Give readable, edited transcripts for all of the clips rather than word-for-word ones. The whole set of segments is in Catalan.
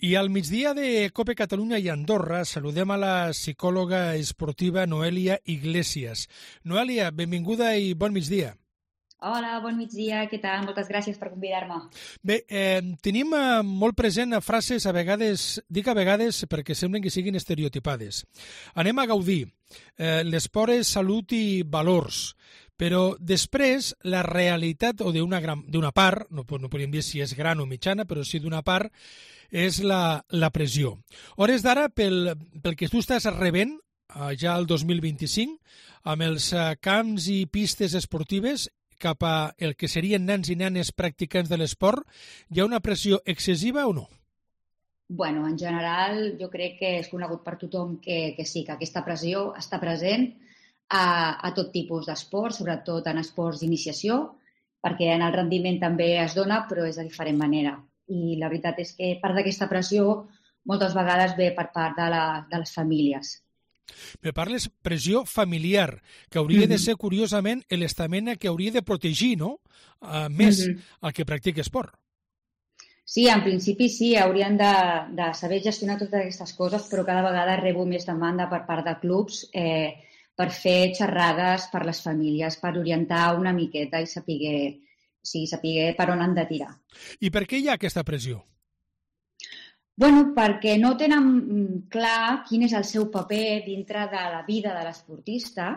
I al migdia de COPE Catalunya i Andorra saludem a la psicòloga esportiva Noelia Iglesias. Noelia, benvinguda i bon migdia. Hola, bon migdia, què tal? Moltes gràcies per convidar-me. Bé, tenim molt present frases, a vegades, dic a vegades perquè semblen que siguin estereotipades. Anem a gaudir. L'esport és salut i valors. Però després la realitat, o d'una part, no podríem dir si és gran o mitjana, però sí d'una part, és la pressió. Hores d'ara, pel que tu estàs rebent, ja el 2025, amb els camps i pistes esportives, cap a el que serien nens i nenes practicants de l'esport, hi ha una pressió excessiva o no? Bueno, en general, jo crec que és conegut per tothom que sí, que aquesta pressió està present a tot tipus d'esport, sobretot en esports d'iniciació, perquè en el rendiment també es dona, però és de diferent manera. I la veritat és que part d'aquesta pressió moltes vegades ve per part de les famílies. Me parles pressió familiar, que hauria de ser, curiosament, l'estament que hauria de protegir, no? Més el que practica esport. Sí, en principi sí, haurien de saber gestionar totes aquestes coses, però cada vegada rebo més demanda per part de clubs per fer xerrades per les famílies, per orientar una miqueta i saber per on han de tirar. I per què hi ha aquesta pressió? Bueno, perquè no tenen clar quin és el seu paper dintre de la vida de l'esportista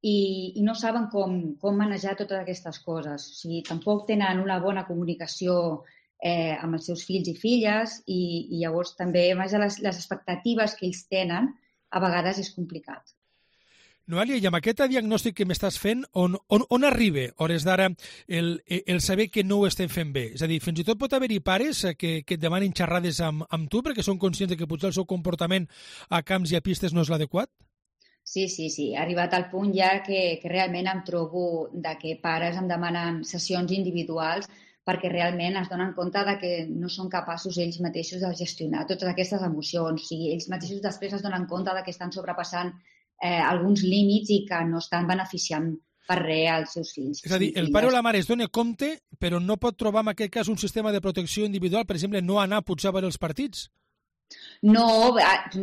i no saben com manejar totes aquestes coses. O sigui, tampoc tenen una bona comunicació amb els seus fills i filles i llavors també les expectatives que ells tenen a vegades és complicat. Noelia, i amb aquest diagnòstic que m'estàs fent, on arriba, hores d'ara, el saber que no ho estem fent bé? És a dir, fins i tot pot haver-hi pares que et demanin xerrades amb tu perquè són conscients que potser el seu comportament a camps i a pistes no és l'adequat? Sí, ha arribat al punt ja que realment em trobo que pares em demanen sessions individuals perquè realment es donen compte que no són capaços ells mateixos de gestionar totes aquestes emocions. O sigui, ells mateixos després es donen compte que estan sobrepassant alguns límits i que no estan beneficiant per res als seus fills. És a dir, el pare o la mare es dona compte, però no pot trobar en aquest cas un sistema de protecció individual, per exemple, no anar potser a veure els partits? No,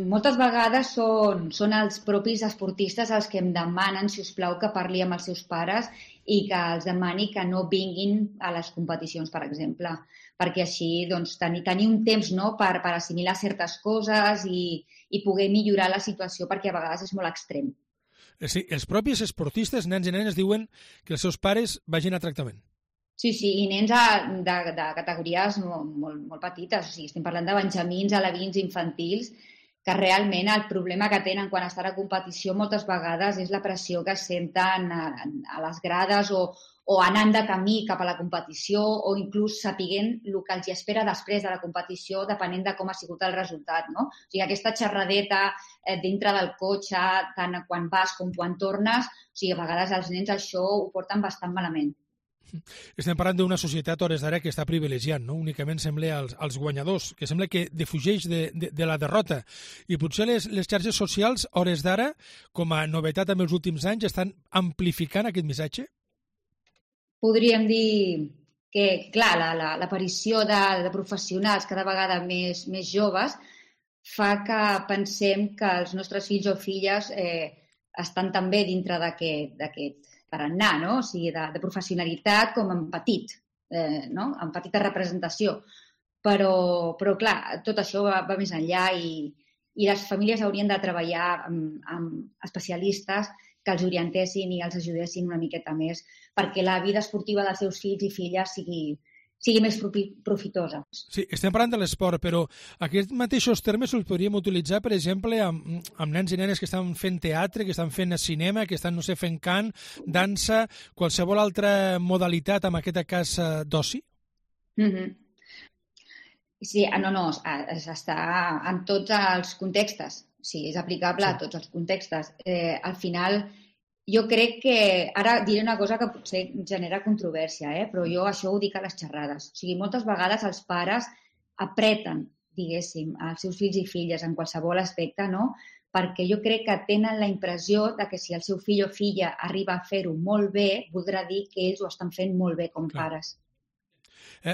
moltes vegades són els propis esportistes els que em demanen, si us plau, que parli amb els seus pares i que els demani que no vinguin a les competicions, per exemple, perquè així doncs, tenir un temps per assimilar certes coses i poder millorar la situació, perquè a vegades és molt extrem. Sí, els propis esportistes, nens i nenes, diuen que els seus pares vagin a tractament. Sí, i nens de categories molt petites, o sigui, estem parlant de benjamins, alevins, infantils, que realment el problema que tenen quan estan a competició moltes vegades és la pressió que senten a les grades o anant de camí cap a la competició o inclús sapiguent el que els espera després de la competició depenent de com ha sigut el resultat, no? O sigui, aquesta xerradeta dintre del cotxe, tant quan vas com quan tornes, o sigui, a vegades els nens això ho porten bastant malament. Estem parlant d'una societat hores d'ara que està privilegiant, no? Únicament sembla als guanyadors, que sembla que defugeix de la derrota. I potser les xarxes socials hores d'ara, com a novetat en els últims anys, estan amplificant aquest missatge? Podríem dir que, clar, l'aparició de professionals cada vegada més joves fa que pensem que els nostres fills o filles estan també dintre d'aquest tarannà, no? O sigui, de professionalitat com en petit, no? En petita representació. Però clar, tot això va més enllà i les famílies haurien de treballar amb especialistes que els orientessin i els ajudessin una miqueta més perquè la vida esportiva dels seus fills i filles sigui més profitosa. Sí, estem parlant de l'esport, però aquests mateixos termes els podríem utilitzar, per exemple, amb nens i nenes que estan fent teatre, que estan fent cinema, que estan, no sé, fent cant, dansa, qualsevol altra modalitat, en aquest cas, d'oci? Sí, no, està en tots els contextes. Sí, és aplicable a tots els contextes. Al final, jo crec que... Ara diré una cosa que potser genera controvèrsia, però jo això ho dic a les xerrades. O sigui, moltes vegades els pares apreten, diguéssim, als seus fills i filles en qualsevol aspecte, no? Perquè jo crec que tenen la impressió de que si el seu fill o filla arriba a fer-ho molt bé, voldrà dir que ells ho estan fent molt bé com pares.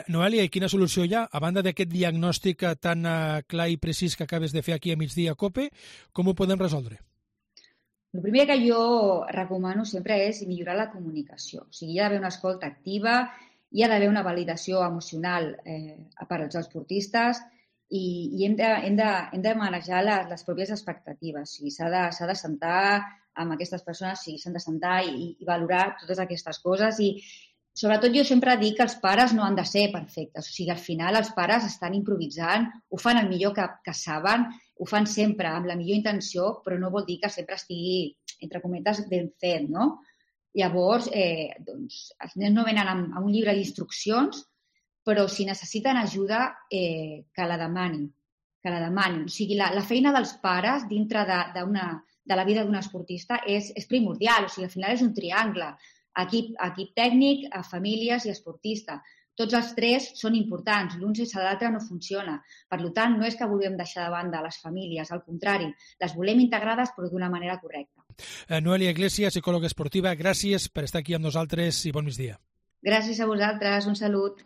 Noelia, i quina solució hi ha? A banda d'aquest diagnòstic tan clar i precís que acabes de fer aquí a migdia a COPE, com ho podem resoldre? El primer que jo recomano sempre és millorar la comunicació. O sigui, hi ha d'haver una escolta activa, hi ha d'haver una validació emocional per als esportistes i hem de manejar les pròpies expectatives. O sigui, s'ha de sentar amb aquestes persones, s'han de sentar i valorar totes aquestes coses i sobretot jo sempre dic que els pares no han de ser perfectes. O sigui, al final els pares estan improvisant, ho fan el millor que saben, ho fan sempre amb la millor intenció, però no vol dir que sempre estigui, entre cometes, ben fet, no? Llavors, els nens no venen amb un llibre d'instruccions, però si necessiten ajuda, que la demanin. O sigui, la feina dels pares dintre de la vida d'un esportista és primordial. O sigui, al final és un triangle. Equip tècnic, famílies i esportista. Tots els tres són importants, l'un sense l'altre no funciona. Per tant, no és que vulguem deixar de banda les famílies, al contrari, les volem integrades però d'una manera correcta. Noelia Iglesias, psicòloga esportiva, gràcies per estar aquí amb nosaltres i bon migdia. Gràcies a vosaltres, un salut.